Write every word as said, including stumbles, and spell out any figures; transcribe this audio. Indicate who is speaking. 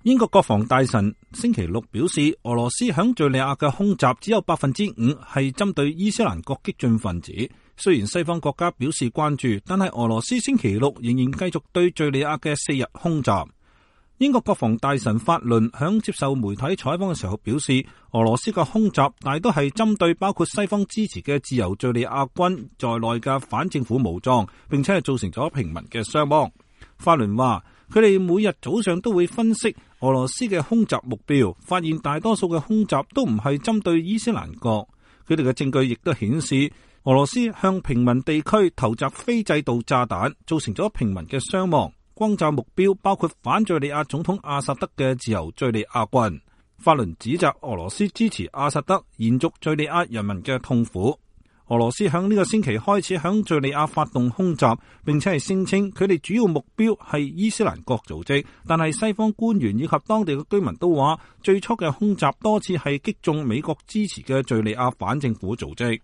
Speaker 1: 英國國防大臣星期六表示，俄羅斯響敘利亞嘅空襲只有百分之五係針對伊斯蘭國激進分子。雖然西方國家表示關注，但係俄羅斯星期六仍然繼續對敘利亞嘅四日空襲。英國國防大臣法倫響接受媒體採訪嘅時候表示，俄羅斯嘅空襲大都係針對包括西方支持嘅自由敘利亞軍在內嘅反政府武裝，並且係造成咗平民嘅傷亡。法倫話，佢哋每日早上都會分析俄羅斯嘅空襲目標，發現大多數嘅空襲都唔係針對伊斯蘭國。佢哋嘅證據亦都顯示，俄羅斯向平民地區投擲非制導炸彈，造成咗平民嘅傷亡。轟炸目標包括反敘利亞總統阿薩德嘅自由敘利亞軍。法倫指責俄羅斯支持阿薩德，延續敘利亞人民嘅痛苦。俄羅斯響呢個星期開始響敘利亞發動空襲，並且係聲稱佢哋主要目標係伊斯蘭國組織，但係西方官員以及當地嘅居民都話，最初嘅空襲多次係擊中美國支持嘅敘利亞反政府組織。